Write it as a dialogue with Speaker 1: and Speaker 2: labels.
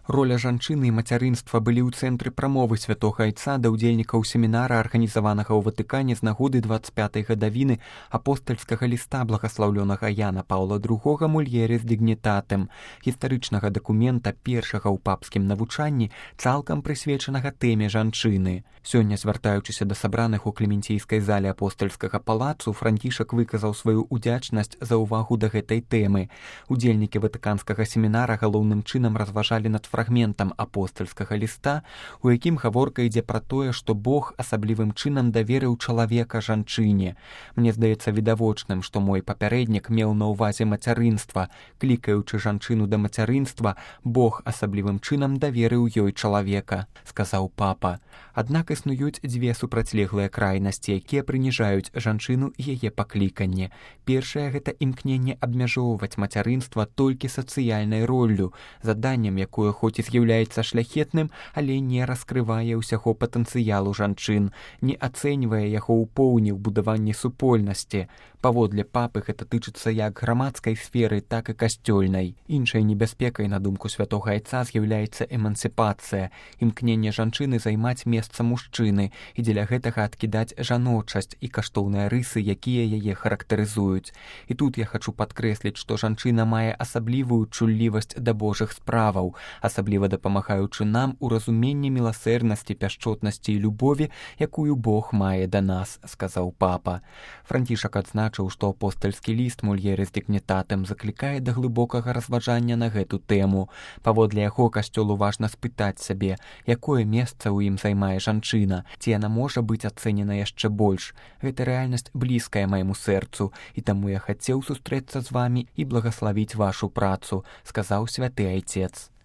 Speaker 1: Роля жанчыны і мацярынства былі ў цэнтры прамовы святога айца да ўдзельнікаў семінара, арганізаванага ў Ватыкане з нагоды 25-й гадавіны апостальскага ліста благаслаўлёнага Яна Паўла II «Mulieris Dignitatem», гістарычнага дакумента першага ў папскім навучанні, цалкам прысвечанага тэме жанчыны. Сёння, звяртаючыся да сабраных у клементійскай зале апостальскага палацу, Францішак выказаў сваю удзячнасць за ўвагу да гэтай тэмы. Удзельнікі ватыканскага семінара галоўным чынам разважалі над фрагментам апостальскага ліста, у якім гаворка ідзе пра тое, што Бог асаблівым чынам даверыў чалавека жанчыне. Мне здаецца відавочным, што мой папярэднік меў на ўвазе мацярынства. Клікаючы жанчыну да мацярынства, Бог асаблівым чынам даверыў ёй чалавека, сказаў папа. Аднак існуюць дзве супрацьлеглыя крайнасці, якія прыніжаюць жанчыну і яе пакліканне. Першае – гэта імкненне абмяжоўваць мацярынства толькі сацыяльнай роллю, заданнем, якое хоць і з'яўляецца шляхетным, але не раскрывае ўсяго патэнцыялу жанчын, не ацэньвае яго ў поўні ў будаванні супольнасці. Паводле папы гэта тычыцца як грамадскай сферы, так і касцёльнай. Іншай небяспекай, на думку святога айца, з'яўляецца эмансіпацыя, імкненне жанчыны займаць месца мужчыны і дзеля гэтага адкідаць жаночасць і каштоўныя рысы, якія яе характарызуюць. І тут я хачу падкрэсліць, што жанчына мае асаблівую чуллівасць да Божых справаў, асабліва дапамагаючы нам у разуменні міласэрнасці, пяшчотнасці і любові, якую Бог мае да нас, сказаў папа. Францішак адзначыў, што апостальскі ліст «Mulieris Dignitatem» заклікае да глыбокага разважання на гэту тэму. Паводле яго касцёлу важна спытаць сябе, якое месца ў ім займае жанчына, ці яна можа быць ацэнена яшчэ больш. Гэта рэальнасць блізкая майму сэрцу, і таму я хацеў сустрэцца з вамі і благаславіць вашу працу, сказаў святы айцец.